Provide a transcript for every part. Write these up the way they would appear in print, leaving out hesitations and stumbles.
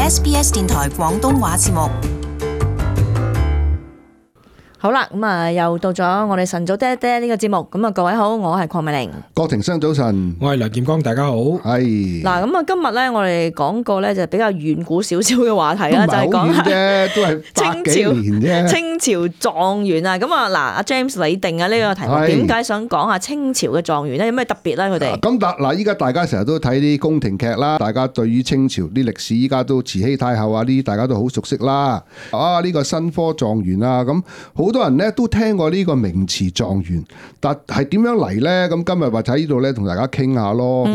SBS 電台廣東話節目。好啦，又到咗我哋晨早爹爹呢個節目。各位好，我係鄺美玲。郭庭生早晨，我係梁劍光，大家好。係嗱，今日咧我哋講個咧就比較遠古少少嘅話題啦，就係講啫，都係百幾年啫。清朝狀元啊，阿 James 你定啊呢個題目，點解想講下清朝嘅狀元咧？有咩特別咧？佢哋咁依家大家成日都睇啲宮廷劇啦，大家對於清朝啲歷史依家都慈禧太后啊呢啲大家都好熟悉啦。呢個新科狀元啊，咁好多人咧都聽過呢個名詞狀元，但係點樣嚟咧？咁今日或者喺呢度咧同大家傾下咯。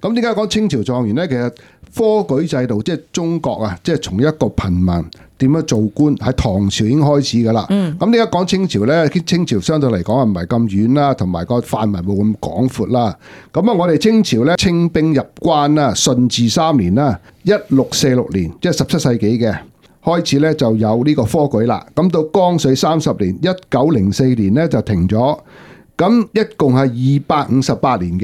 咁點解講清朝狀元咧？其實科舉制度即係中國啊，即係從一個貧民點樣做官，喺唐朝已經開始噶啦。咁點解講清朝咧？清朝相對嚟講唔係咁遠啦，同埋個範圍冇咁廣闊啦。咁我哋清朝咧清兵入關啦，順治3年啦，1646年，即係17世紀嘅。開始咧就有呢個科舉啦，咁到光緒30年1904年咧就停咗，咁一共係258年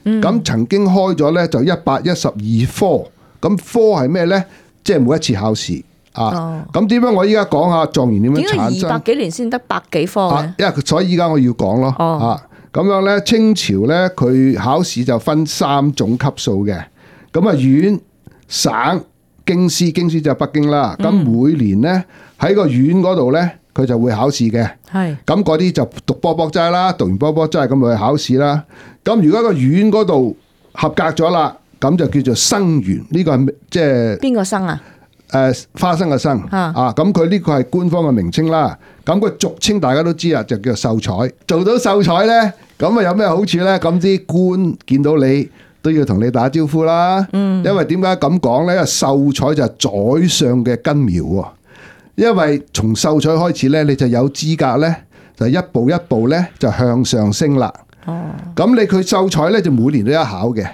嘅，咁曾經開咗咧就112科，咁科係咩咧？即係每一次考試啊。咁點解我依家講下狀元點樣產生？點解200幾年先得百幾科嘅？因為所以依家我要講咯。咁樣咧清朝咧佢考試就分3種級數嘅，咁縣、省、京師就係北京啦，咁每年咧喺個縣嗰度咧，佢就會考試嘅。係咁嗰啲就讀波波齋啦，讀完波波齋咁咪去考試啦。咁如果個縣嗰度合格咗啦，咁就叫做生員。呢個係即係邊個生啊？花生嘅生啊。咁佢呢個係官方嘅名稱啦。咁佢俗稱大家都知啊，就叫做秀才。做到秀才咧，咁啊有咩好處咧？咁啲官見到你都要同你打招呼啦，因為點解咁講呢？因為秀才就係宰相嘅根苗喎，因為從秀才開始呢，你就有資格呢，就一步一步呢，就向上升啦。咁佢秀才呢，就每年都有考嘅，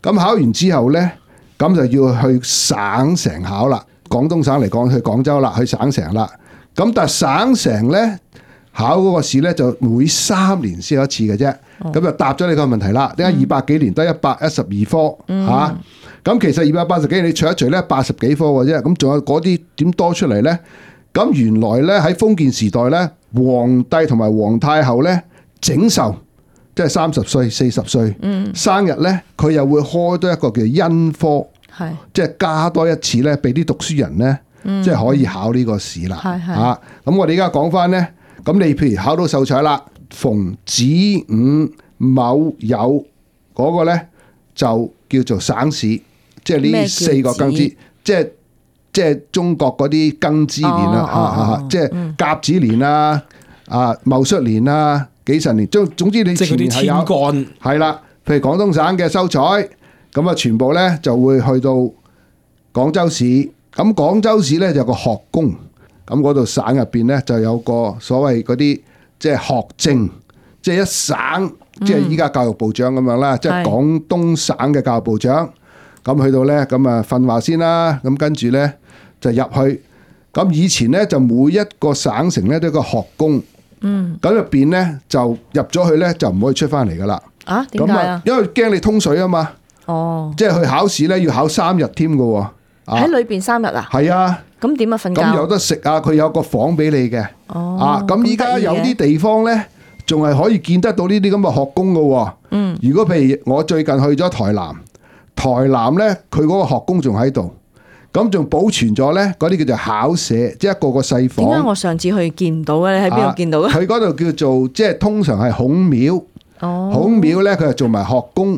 咁考完之後呢，咁就要去省城考啦。廣東省嚟講，去廣州啦，去省城啦。咁但係省城呢，考嗰個試呢，就每3年先有一次嘅啫。咁就答咗你個問題啦。點解200幾年得112科嚇？咁其實280幾年你除一除咧80幾科嘅啫。咁仲有嗰啲點多出嚟咧？咁原來咧喺封建時代咧，皇帝同埋皇太后咧整壽，即係30歲、40歲生日咧，佢又會開多一個叫恩科，即係加多一次咧，俾啲讀書人咧，即係可以考呢個試啦。嚇！咁我哋而家講翻咧，咁你譬如考到秀才啦。逢子午卯酉嗰個咧就叫做省試，即係呢4個庚子，即係中國嗰啲庚子年啦，即係甲子年啊、戊戌年啊、己辰年，總之你前面係有係啦。譬如廣東省嘅秀才，咁全部咧就會去到廣州市，咁廣州市咧就有個學宮，咁嗰度省入邊咧就有個所謂嗰啲。即係學政，即係一省，即係依家教育部長咁樣啦，即係廣東省嘅教育部長。咁去到咧，咁訓話先啦，咁跟住咧就入去。咁以前咧就每一個省城咧都有個學宮，咁入邊咧就入咗去咧就唔可以出翻嚟噶啦。啊？點解啊？因為驚你通水啊嘛。哦。即係去考試咧要考3日添噶喎。喺裏邊3日啊？係啊。咁點啊？瞓覺？咁有得食啊！佢有個房俾你嘅。咁依家有啲地方咧，仲係可以見得到呢啲咁嘅學宮嘅。如果譬如我最近去咗台南咧，佢嗰個學宮仲喺度，咁仲保存咗咧嗰啲叫做考舍，即係一個個細房。點解我上次去見唔到嘅？你喺邊度見到嘅？佢嗰度叫做即係通常係孔廟。孔廟咧，佢係做埋學宮。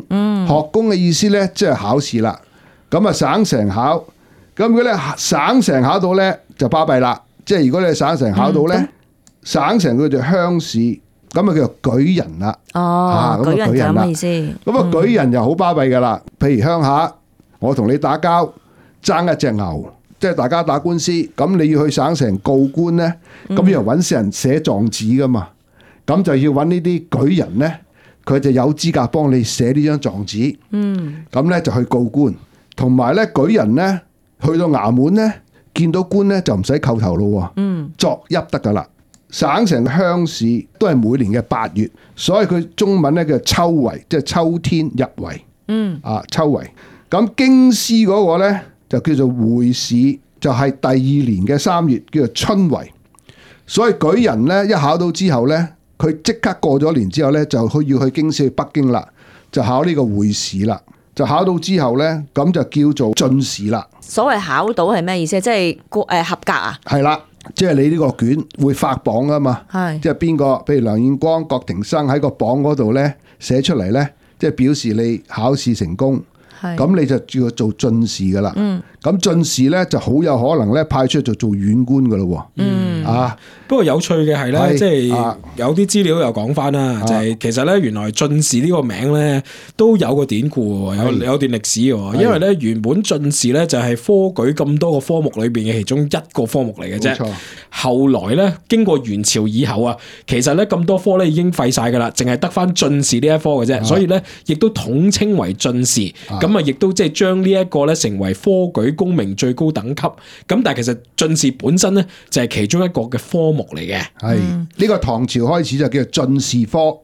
學宮嘅意思咧，即係考試啦。咁啊，省城考。咁如果咧省城考到咧就巴閉啦，即係如果你省城考到咧，省城佢就鄉試，咁啊叫做舉人啦。舉人就咩意思？咁舉人就好巴閉噶啦。譬如鄉下，我同你打交爭一隻牛，即係大家打官司，咁你要去省城告官咧，咁要揾人寫狀紙噶嘛，咁就要揾呢啲舉人咧，佢就有資格幫你寫呢張狀紙。咁咧就去告官，同埋咧舉人咧。去到衙門咧，見到官咧就唔使叩頭咯，作揖得噶啦。省城鄉試都係每年嘅8月，所以佢中文咧叫秋闈，即係秋天入闈。秋闈。咁京師嗰個咧就叫做會試，就係第2年嘅3月，叫做春闈。所以舉人咧一考到之後咧，佢即刻過咗年之後咧，就要去京師去北京啦，就考呢個會試啦。就考到之後咧，咁就叫做進士啦。所謂考到係咩意思？即係合格啊？係啦，即係你呢個卷會發榜啊嘛。係，即係邊個？譬如梁彥光、郭庭生喺個榜嗰度咧寫出嚟咧，即係表示你考試成功。咁你就要做進士噶啦。咁進士咧就好有可能咧派出去做縣官噶咯。不過有趣嘅係咧，即係有啲資料又講翻啦，就係其實咧原來進士呢個名咧都有個典故，有段歷史嘅。因為咧原本進士咧就係科舉咁多個科目裏邊嘅其中一個科目嚟嘅啫。後來咧經過元朝以後啊，其實咧咁多科咧已經廢晒噶啦，淨係得翻進士呢一科嘅啫。所以咧亦都統稱為進士。咁啊亦都即係將呢一個咧成為科舉功名最高等級。咁但係其實進士本身咧就係其中一個嘅科目嚟嘅。係呢個唐朝開始就叫做進士科，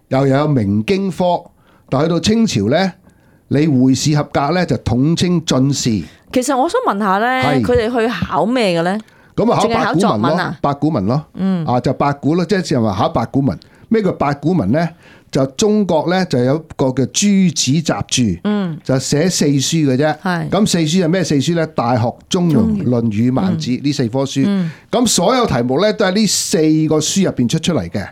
又有明經科，但去到清朝咧，你會試合格咧就統稱進士。其實我想問下咧，佢哋去考咩嘅咧？咁啊考八股文咯，八股文咯，就八股咯，即係話考八股文。咩叫八股文咧？就中國咧就有一個叫朱子集注，就寫4書嘅啫。咁4書係咩4書咧？大學、中庸、論語、孟子呢4科書。咁所有題目咧都係呢4個書入邊出嚟嘅。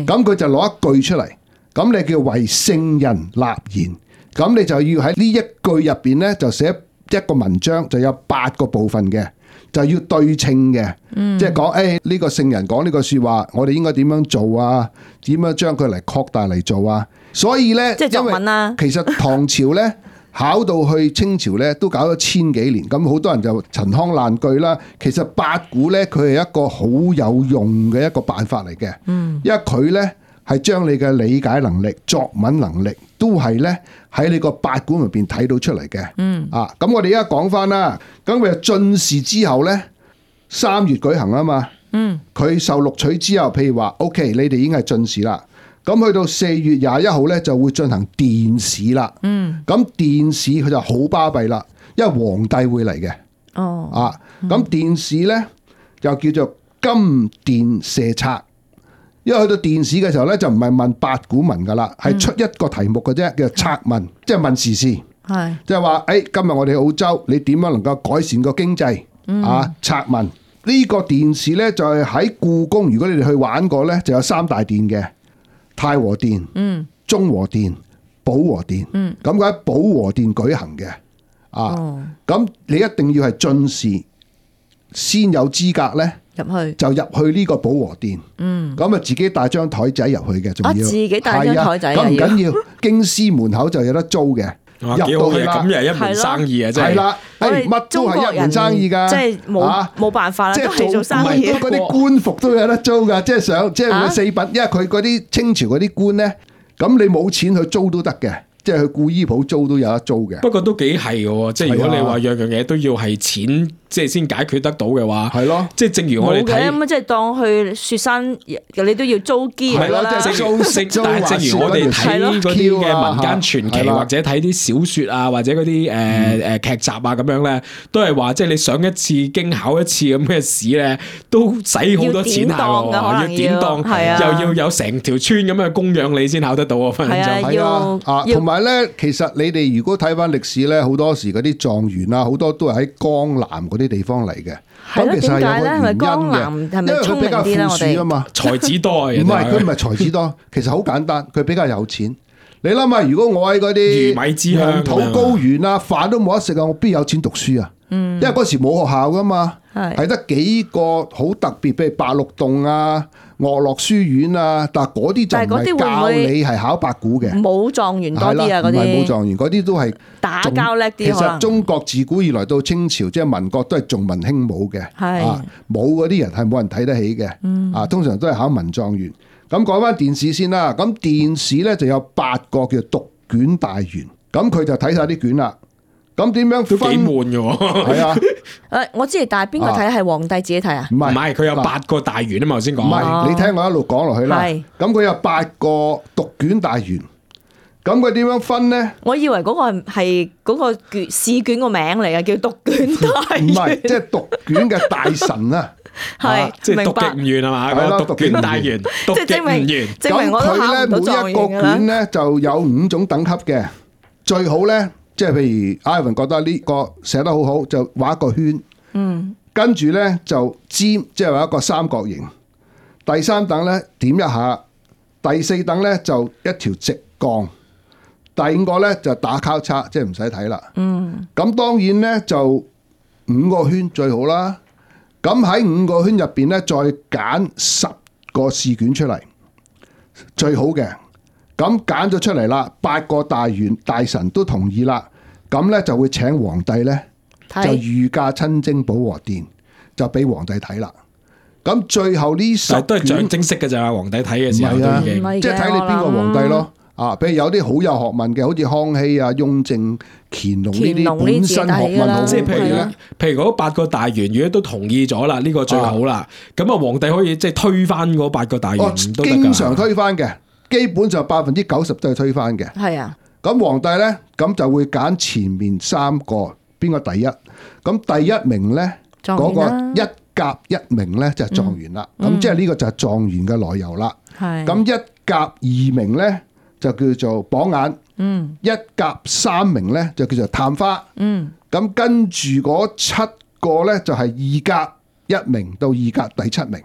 咁佢就攞一句出嚟，咁你叫為聖人立言。咁你就要喺呢一句入邊咧就寫一個文章，就有8個部分嘅。就要對稱嘅，即係講呢個聖人講呢個說話，我哋應該點樣做啊？點樣將佢嚟擴大嚟做啊？所以咧，即係作文啦。其實唐朝咧考到去清朝咧都搞咗1000幾年，咁好多人就陳腔爛句啦。其實八股咧佢係一個好有用嘅一個辦法嚟嘅，因為佢咧係將你嘅理解能力、作文能力都係咧喺你個八股入邊睇到出嚟嘅。咁我哋而家講翻啦，咁佢進士之後咧3月舉行啊嘛。佢受錄取之後，譬如話 OK， 你哋已經係進士啦。咁去到4月21號咧就會進行殿試啦。咁殿試佢就好巴閉啦，因為皇帝會嚟嘅。咁殿試咧又叫做金殿射策。因為去到殿試嘅時候咧，就唔係問八股文噶啦，係出一個題目嘅啫，叫做策問，即係問時事，即係話今日我哋澳洲，你點樣能夠改善個經濟？策問呢個殿試咧就係喺故宮，如果你哋去玩過咧，就有3大殿嘅，太和殿、中和殿、保和殿。咁佢喺保和殿舉行嘅。咁你一定要係進士先有資格咧。就入去呢個保和殿，咁啊自己帶張台仔入去嘅，仲要自己帶張台仔，咁唔緊要，京師門口就有得租嘅，入到去啦，咁又係一門生意啊，真係。係啦，乜都係一門生意噶，即係冇辦法啦，都係做生意。嗰啲官服都有得租噶，即係佢4品，因為佢嗰啲清朝嗰啲官咧，咁你冇錢去租都得嘅。即係去故衣鋪租都有得租嘅。不過都幾係嘅，即係如果你話樣樣嘢都要係錢，即係先解決得到嘅話，係咯。即係正如我哋睇咁即係當去雪山，你都要租機㗎啦。即係租食。但係正如我哋睇嗰啲嘅民間傳奇，或者睇啲小説啊，或者嗰啲劇集啊咁樣咧，都係話即係你上一次經考一次咁嘅試咧，都使好多錢下喎，要典當，又要有成條村咁嘅供養你先考得到啊！分分鐘係啊，同埋咧，其實你哋如果睇翻歷史咧，好多時嗰啲狀元啊，好多都係喺江南嗰啲地方嚟嘅。咁其實係有個原因嘅，因為佢比較富庶啊嘛，才子多啊。唔係佢唔係才子多，其實好簡單，佢比較有錢。你諗下，如果我喺嗰啲魚米之鄉、黃土高原啊，飯都冇得食啊，我邊有錢讀書啊？因為嗰時冇學校噶嘛，係得幾個好特別，譬如白鹿洞啊、岳樂書院啊，但係嗰啲就唔係教你係考八股嘅，冇狀元多啲啊，嗰啲唔係冇狀元，嗰啲都係打交叻啲。其實中國自古以來到清朝，即係民國都係重文輕武嘅，武嗰啲人係冇人睇得起嘅，通常都係考文狀元。咁講翻殿試先啦，咁殿試咧就有8個叫讀卷大員，咁佢就睇晒啲卷啦。咁點樣分？都幾悶嘅喎。係啊。我知，但係邊個睇係皇帝自己睇啊？唔係，佢有8個大員啊嘛，頭先講。唔係，你聽我一路講落去啦。咁佢有8個讀卷大員，咁咁佢點樣分咧？我以為嗰個係嗰個試卷個名嚟嘅，叫讀卷大員。唔係，即係讀卷嘅大神啊！係，即係讀極唔完係嘛？係咯，讀卷大員，讀極唔完。證明我都考唔到狀元㗎啦。咁佢咧每一個卷咧就有5種等級嘅，最好咧即係譬如 Ivan 覺得呢個寫得好好，就畫一個圈，跟住咧就尖，即係畫一個三角形。第3等咧點一下，第4等咧就一條直槓，第5個咧就打交叉，即係唔使睇啦。咁當然咧就5個圈最好啦。咁喺5個圈入邊咧，再揀10個試卷出嚟，最好嘅。咁揀咗出嚟啦，8個大員大臣都同意啦，咁咧就會請皇帝咧就御駕親征保和殿，就俾皇帝睇啦。咁最後呢10卷都係象徵式嘅咋，皇帝睇嘅時候都已經，即係睇你邊個皇帝咯。啊，譬如有啲好有學問嘅，好似康熙啊、雍正、乾隆呢啲本身學問好，即係譬如嗰8個大員，如果都同意咗啦，呢個最好啦。咁啊，皇帝可以即係推翻嗰8個大員都得㗎。經常推翻嘅，基本上90%都係推翻嘅。係啊。咁皇帝咧，咁就會揀前面3個邊個第一。咁第1名咧，嗰個1甲1名咧就係狀元啦。咁即係呢個就係狀元嘅來由啦。係。咁1甲2名咧，就叫做榜眼，1甲3名咧就叫做探花，咁跟住嗰7個咧就係2甲1名到2甲第7名。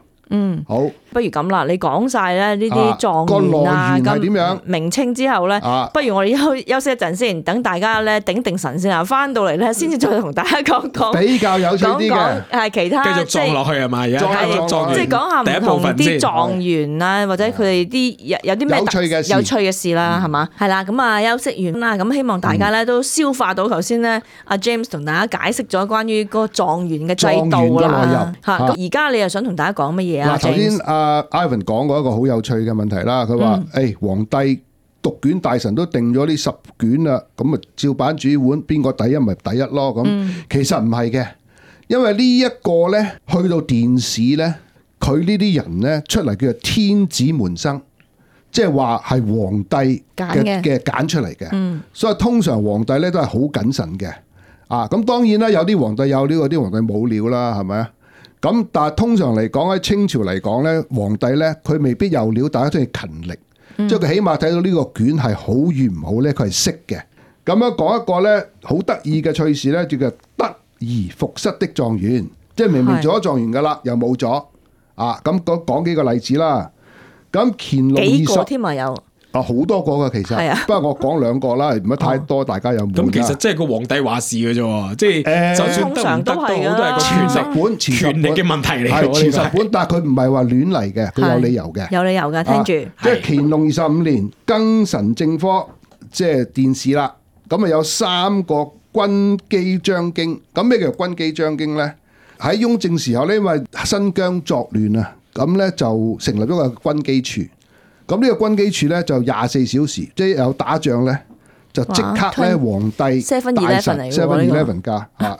好，不如咁啦，你講晒咧呢啲狀元啊咁名稱之後咧，不如我哋休息一陣先，等大家咧頂定神先啊，翻到嚟咧先至再同大家講比較有趣啲嘅，係其他繼續撞落去係嘛？而家即係講下唔同啲狀元啊，或者佢哋啲有啲咩有趣嘅事啦，係嘛？係啦，咁啊休息完啦，咁希望大家咧都消化到頭先咧，阿 James 同大家解釋咗關於個狀元嘅制度啦。嚇，而家你又想同大家講乜嘢？嗱，頭先阿 Ivan 講過一個好有趣嘅問題啦，佢話：誒皇帝讀卷大臣都定咗呢10卷啦，咁啊照板煮碗，邊個第一咪第一咯？咁其實唔係嘅，因為呢一個咧去到殿試咧，佢呢啲人咧出嚟叫做天子門生，即係話係皇帝嘅揀出嚟嘅，所以通常皇帝咧都係好謹慎嘅。啊，咁當然啦，有啲皇帝有料，有啲皇帝冇料啦，係咪啊？咁但係通常嚟講喺清朝嚟講咧，皇帝咧佢未必有料，大家都係勤力，即係佢起碼睇到呢個卷係好與唔好咧，佢係識嘅。咁樣講一個咧好得意嘅趣事咧，叫做得而復失的狀元，即係明明做咗狀元噶啦，又冇咗啊！咁講幾個例子啦。咁乾隆幾個添啊有。好多個㗎其實，不過我講2個啦，唔好太多，大家有冇？咁其實即係個皇帝話事嘅啫，即係就算得唔得都好，都係個前10本權力嘅問題嚟。係前10本，但係佢唔係話亂嚟嘅，佢有理由嘅。有理由嘅，聽住。即係乾隆25年庚辰正科，即係殿試啦。咁啊有3個軍機將京。咁咩叫軍機將京咧？喺雍正時候咧，因為新疆作亂啊，咁咧就成立咗個軍機處。咁呢個軍機處咧就24小時，即係有打仗咧就即刻咧皇帝大臣 7-11㗎嚇。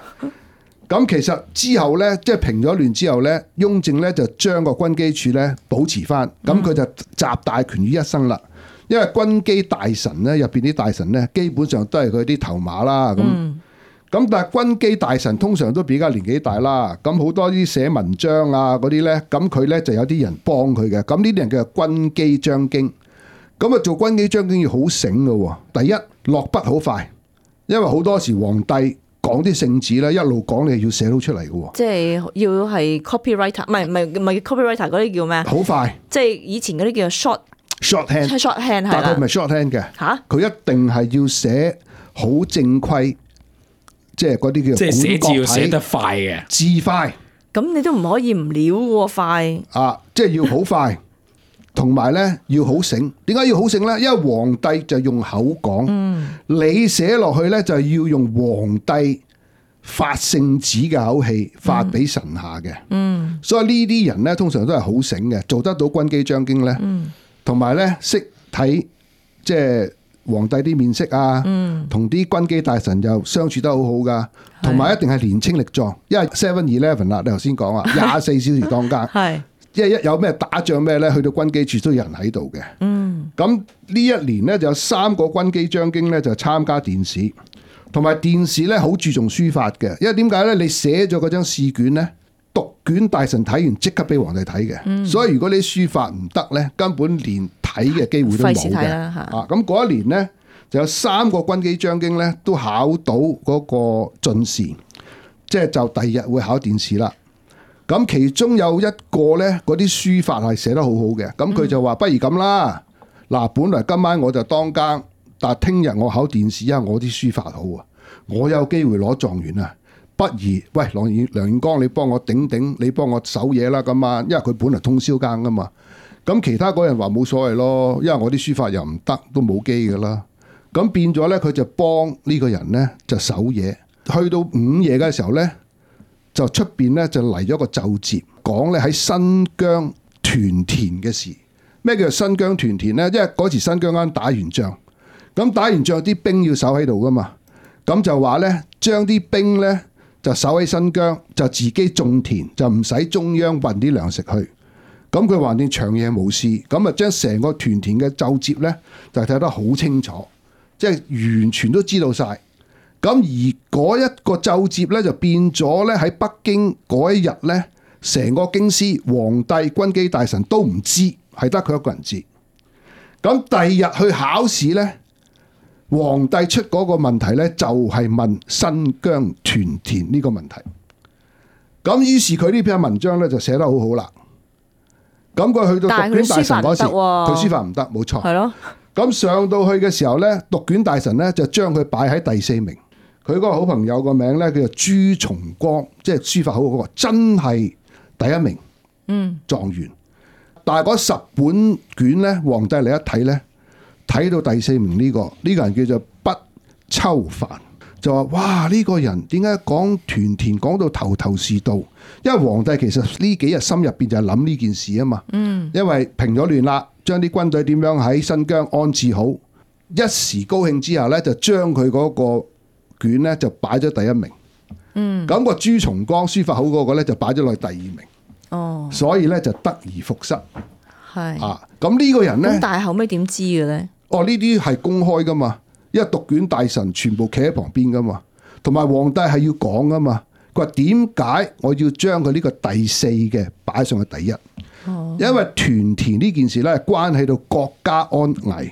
咁其實之後咧，即係平咗亂之後咧，雍正咧就將個軍機處咧保持翻，咁佢就集大權於一身啦。因為軍機大臣咧入邊啲大臣咧，基本上都係佢啲頭馬啦咁但係軍機大臣通常都比較年紀大啦，咁好多啲寫文章啊嗰啲咧，咁佢咧就有啲人幫佢嘅，咁呢啲人叫做軍機將京。咁啊做軍機將京要好醒嘅，第一落筆好快，因為好多時皇帝講啲聖旨咧，一路講你要寫到出嚟嘅。即係要係 copywriter， 唔係 copywriter 嗰啲叫咩？好快，即係以前嗰啲叫 short hand，但佢唔係 short hand 嘅。嚇，佢一定係要寫好正規。即係嗰啲叫即係寫字要寫得快嘅，字快。咁你都唔可以唔料喎快。啊，即係要好快，同埋咧要好醒。點解要好醒咧？因為皇帝就用口講，你寫落去咧就要用皇帝發聖旨嘅口氣發俾臣下嘅。所以呢啲人咧通常都係好醒嘅，做得到軍機將京咧，同埋咧識睇即係。皇帝啲面色啊，同啲軍機大臣又相處得好好噶，同埋一定係年青力壯，因為7-11啦，你頭先講啊，24小時當更，即係一有咩打仗咩咧，去到軍機處都有人喺度嘅。咁呢一年咧就有3個軍機將軍咧就參加殿試，同埋殿試咧好注重書法嘅，因為點解咧？你寫咗嗰張試卷咧，讀卷大臣睇完即刻俾皇帝睇嘅，所以如果你書法唔得咧，根本連睇嘅機會都冇嘅。咁嗰一年咧就有3個軍機將軍咧都考到嗰個進士，即係就第二日會考殿試啦。咁其中有一個咧，嗰啲書法係寫得好好嘅，咁佢就話不如咁啦，嗱，本來今晚我就當更，但係聽日我考殿試，因為我啲書法好啊，我有機會攞狀元啊，不如喂梁彥光，你幫我頂頂，你幫我守嘢啦咁啊，因為佢本來通宵更噶嘛，咁其他嗰人話冇所謂咯，因為我啲書法又唔得，都冇機噶啦，咁變咗咧，佢就幫呢個人咧就守嘢，去到午夜嘅時候咧。就出邊咧就嚟咗個奏摺，講咧喺新疆屯田嘅事。咩叫做新疆屯田咧？因為嗰時新疆啱打完仗，咁打完仗啲兵要守喺度噶嘛，咁就話咧將啲兵咧就守喺新疆，就自己種田，就唔使中央運啲糧食去。咁佢橫掂長夜無事，咁啊將成個屯田嘅奏摺咧就睇得好清楚，即係完全都知道晒。咁而嗰一個奏摺咧就變咗咧喺北京嗰一日咧，成個京師、皇帝、軍機大臣都唔知，係得佢一個人知。咁第二日去考試咧，皇帝出嗰個問題咧就係問新疆屯田呢個問題。咁於是佢呢篇文章咧就寫得好好啦。咁佢去到讀卷大臣嗰時，佢書法唔得，冇錯。係咯。咁上到去嘅時候咧，讀卷大臣咧就將佢擺喺第4名。佢嗰個好朋友個名咧叫做朱重光，即係書法好嗰個，真係第1名狀元。但係嗰10本卷咧，皇帝嚟一睇咧，睇到第4名呢個人叫做畢秋帆，就話：哇！呢個人點解講屯田講到頭頭是道？因為皇帝其實呢幾日心入邊就係諗呢件事啊嘛。因為平咗亂啦，將啲軍隊點樣喺新疆安置好，一時高興之下咧，就將佢嗰個卷咧就擺咗第1名，咁個朱重光書法好嗰個咧就擺咗落去第2名，所以咧就得而復失，咁呢個人咧，但係後尾點知嘅咧？呢啲係公開噶嘛，因為讀卷大臣全部企喺旁邊噶嘛，同埋皇帝係要講噶嘛。佢話點解我要將佢呢個第4嘅擺上去第1？因為屯田呢件事咧關係到國家安危，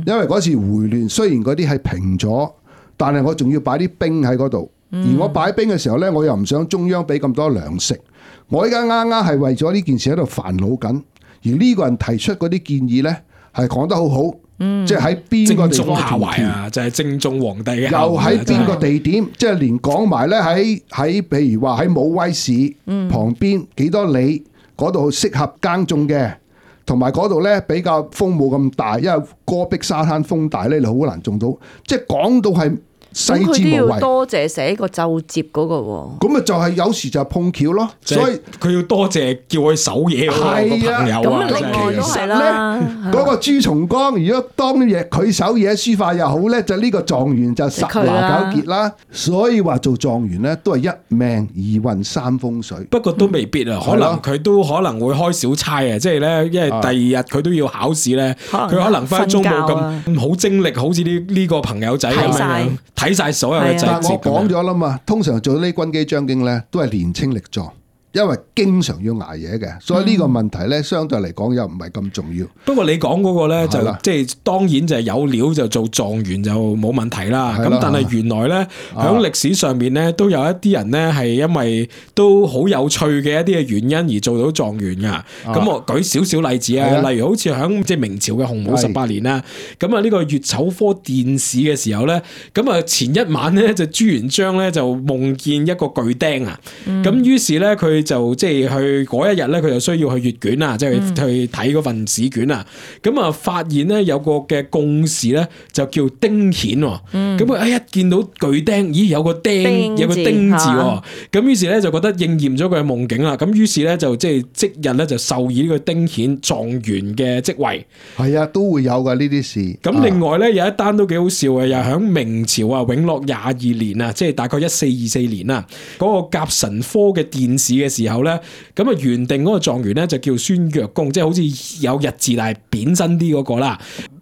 因為嗰時回亂雖然嗰啲係平咗。但係我仲要擺啲兵喺嗰度，而我擺兵嘅時候咧，我又唔想中央俾咁多糧食。我依家啱啱係為咗呢件事喺度煩惱緊，而呢個人提出嗰啲建議咧，係講得好好，即係喺邊個地方下懷啊？就係正中皇帝嘅，又喺邊個地點？即係連講埋咧喺譬如話喺武威市旁邊幾多里嗰度適合耕種嘅。同埋嗰度咧比較風冇咁大，因為戈壁沙灘風大咧，你好難種到。即係講到係細緻無遺。咁佢都要多謝寫個奏摺嗰個喎。咁啊就係有時就碰巧咯，所以佢要多謝叫佢守嘢嗰個朋友啊。咁另外都係啦。嗰個朱重光，如果當日佢守嘢書法又好咧，就呢個狀元就10拿9傑啦。所以話做狀元咧都係1命2運3風水。不過都未必啊，可能佢都可能會開小差啊，即係咧，因為第2日佢都要考試咧，佢可能分鐘冇咁好精力，好似呢個朋友仔咁樣睇晒所有嘅細節。我講咗啦嘛，通常做呢啲軍機將軍咧都係年青力壯。因為經常要捱夜嘅，所以呢個問題咧，相對嚟講又唔係咁重要。不過你講嗰個咧，就即係當然就係有料就做狀元就冇問題啦。咁但係原來咧，喺歷史上面咧，都有一啲人咧係因為都好有趣嘅一啲嘅原因而做到狀元噶。咁我舉少少例子啊，例如好似喺即係明朝嘅洪武18年啦，咁啊呢個乙丑科殿試嘅時候咧，咁啊前一晚咧就朱元璋咧就夢見一個巨釘啊，咁於是咧佢就即係去嗰一日咧，佢就需要去閱卷啊，即係去睇嗰份試卷啊。咁啊，發現咧有個嘅貢士咧就叫丁顯。咁啊，一見到巨釘，咦，有個釘，有個丁字。咁於是咧就覺得應驗咗佢嘅夢境啦。咁於是咧就即係即日咧就授以呢個丁顯狀元嘅職位。係啊，都會有噶呢啲事。咁另外咧有一單都幾好笑嘅，又喺明朝啊永樂22年啊，即係大概1424年啊，嗰個甲辰科嘅殿試嘅嘅時候咧，咁啊原定嗰個狀元咧就叫孫若公，即係好似有日字但係扁身啲嗰個啦。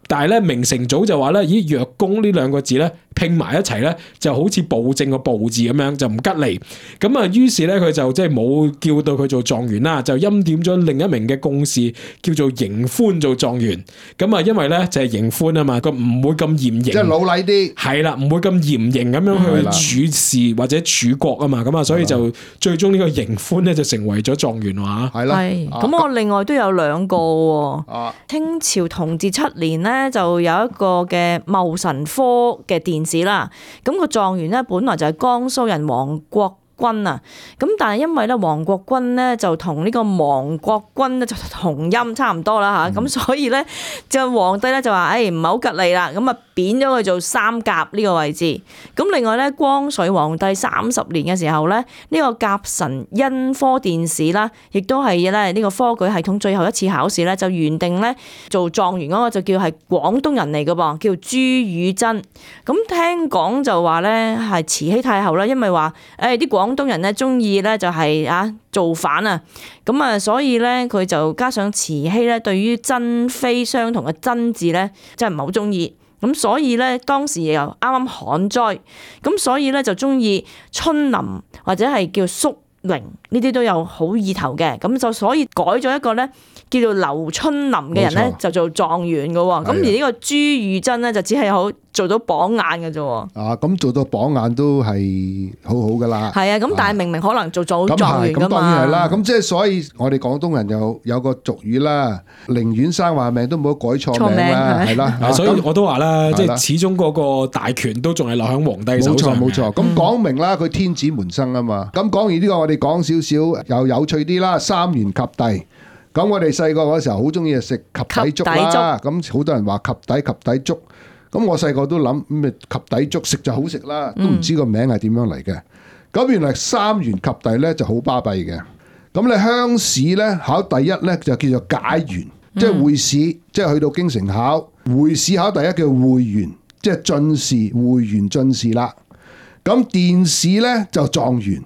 但係咧明成祖就話咧，咦，若公呢兩個字咧拼埋一齊咧就好似暴政個暴字咁樣，就唔吉利。咁啊於是咧佢就即係冇叫到佢做狀元啦，就欽點咗另一名嘅公士叫做邢寬做狀元。咁啊因為咧就係邢寬啊嘛，佢唔會咁嚴刑，即係老禮啲，係啦，唔會咁嚴刑咁樣去處事或者處國啊嘛。咁啊所以就最終呢個邢寬咧就成為咗狀元話。係啦，咁我另外都有兩個喎。清朝同治7年咧就有一個嘅戊辰科嘅殿試啦，咁個狀元咧本來就係江蘇人王國君啊，咁但係因為咧王國君咧就同呢個亡國君咧就同音差唔多啦嚇，咁所以咧就皇帝咧就話唔係好吉利啦，咁啊貶咗佢做三甲呢個位置。咁另外咧光緒皇帝30年嘅時候咧，呢個甲辰恩科殿試啦，亦都係咧呢個科舉系統最後一次考試咧，就原定咧做狀元嗰個就叫係廣東人嚟嘅噃，叫朱宇珍。咁聽講就話咧係慈禧太后啦，因為話啲廣東人咧中意咧就係造反啊，咁啊所以咧佢就加上慈禧咧對於珍妃相同嘅珍字咧真係唔係好中意，咁所以咧當時又啱啱旱災，咁所以咧就中意春林或者係叫淑榮呢啲都有好意頭嘅，咁就所以改咗一個咧叫做劉春林嘅人咧就做狀元嘅喎，咁而呢個朱宇珍咧就只係好做到榜眼嘅啫喎。咁做到榜眼都係好好噶啦。係啊，咁但係明明可能做咗狀元噶嘛。咁當然係啦，咁即係所以我哋廣東人有個俗語啦，寧願生壞命都唔好改錯名啦，係啦。所以我都話啦，即係始終嗰個大權都仲係落喺皇帝手上。冇錯。咁講明啦，佢天子門生啊嘛。咁講完呢個，我哋講少少又有趣啲啦。三元及第。咁我哋細個嗰時候好中意食及第粥啦，咁好多人話及第粥，咁我細個都諗咩及第粥食就好食啦，都唔知個名係點樣嚟嘅。咁原來三元及第咧就好巴閉嘅。咁你鄉試咧考第一咧就叫做解元，即係會試，即係去到京城考會試考第一叫會元，即係進士會元進士啦。咁殿試咧就狀元，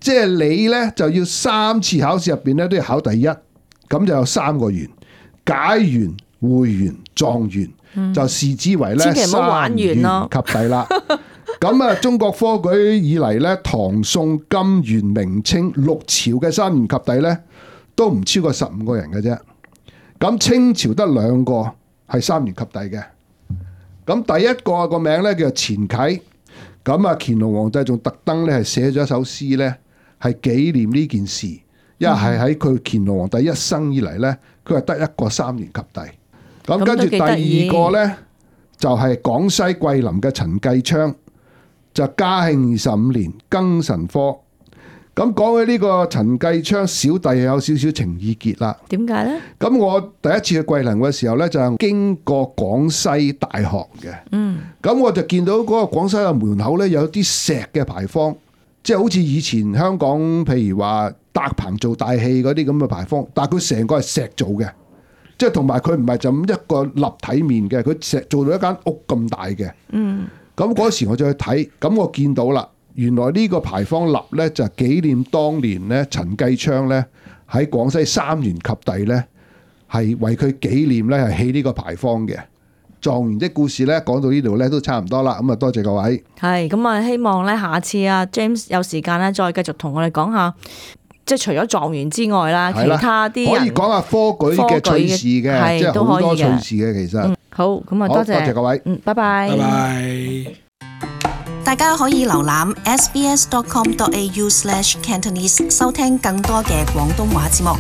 即係你咧就要3次考試入邊咧都要考第一。咁就有3個元，解元、會元、狀元，就視之為咧三元及第啦。咁啊，中國科舉以嚟咧，唐、宋、金、元、明、清6朝嘅三元及第咧，都唔超過15個人嘅啫。咁清朝得2個係三元及第嘅。咁第一個名咧叫錢啟。咁啊，乾隆皇帝仲特登咧係寫咗一首詩咧，係紀念呢件事。因為係喺佢乾隆皇帝一生以嚟咧，佢係得一個三元及第。咁跟住第二個咧，就係廣西桂林嘅陳繼昌，就嘉慶25年庚辰科。咁講起呢個陳繼昌小弟有少少情意結啦。點解咧？咁我第一次去桂林嘅時候咧，就經過廣西大學嘅。咁我就見到嗰個廣西嘅門口咧，有啲石嘅牌坊，即係好似以前香港譬如話搭棚做大戲嗰啲咁嘅牌坊，但係佢成個係石做嘅，即係同埋佢唔係就咁一個立體面嘅，佢石做到一間屋咁大嘅。咁嗰時我就去睇，咁我見到啦，原來呢個牌坊立咧就係紀念當年咧陳繼昌咧喺廣西三元及第咧係為佢紀念咧係起呢個牌坊嘅。狀元的故事咧講到呢度咧都差唔多啦，咁啊多謝各位。係咁啊，希望咧下次啊 James 有時間咧再繼續同我哋講下，即係除咗狀元之外啦，其他啲可以講下科舉嘅趣事嘅，即係好多趣事嘅其實。好，咁啊多謝各位。拜拜。拜拜。大家可以瀏覽 sbs.com.au/cantonese 收聽更多嘅廣東話節目。